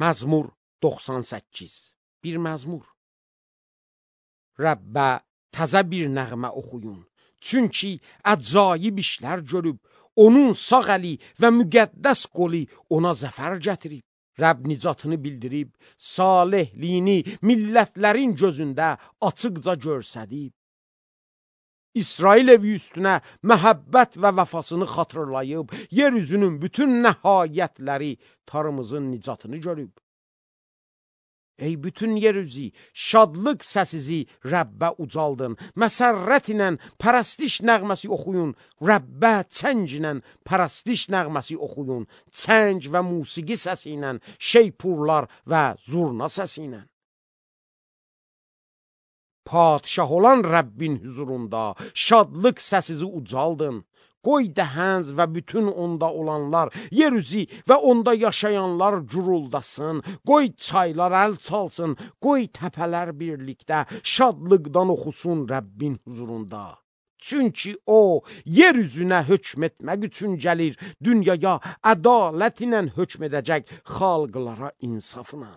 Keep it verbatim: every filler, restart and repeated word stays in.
Məzmur doxsan səkkiz. Bir məzmur. Rəbbə təzə bir nəğmə oxuyun. Çünki əcaib işlər görüb, onun sağ əli və müqəddəs qolu ona zəfər gətirib. Rəbb nicatını bildirib, salehliyini millətlərin gözündə açıqca görsədib. İsrail evi üstünə məhəbbət və vəfasını xatırlayıb, yeryüzünün bütün nəhayətləri tarımızın nicatını görüb. Ey bütün yeryüzü, şadlıq səsizi Rəbbə ucaldın. Məsərrət ilə pərəstiş nəğməsi oxuyun. Rəbbə çəng ilə pərəstiş nəğməsi oxuyun. Çəng və musiqi səsi ilə, şeypurlar və zurna səsi ilə. Padişah olan Rəbbin huzurunda şadlıq səsizi ucaldın. Qoy dəhənz və bütün onda olanlar, yeryüzü və onda yaşayanlar guruldasın. Qoy çaylar əl çalsın, qoy təpələr birlikdə şadlıqdan oxusun Rəbbin huzurunda. Çünki o, yeryüzünə hökm etmək üçün gəlir, dünyaya ədalət ilə hökm edəcək xalqlara insafla.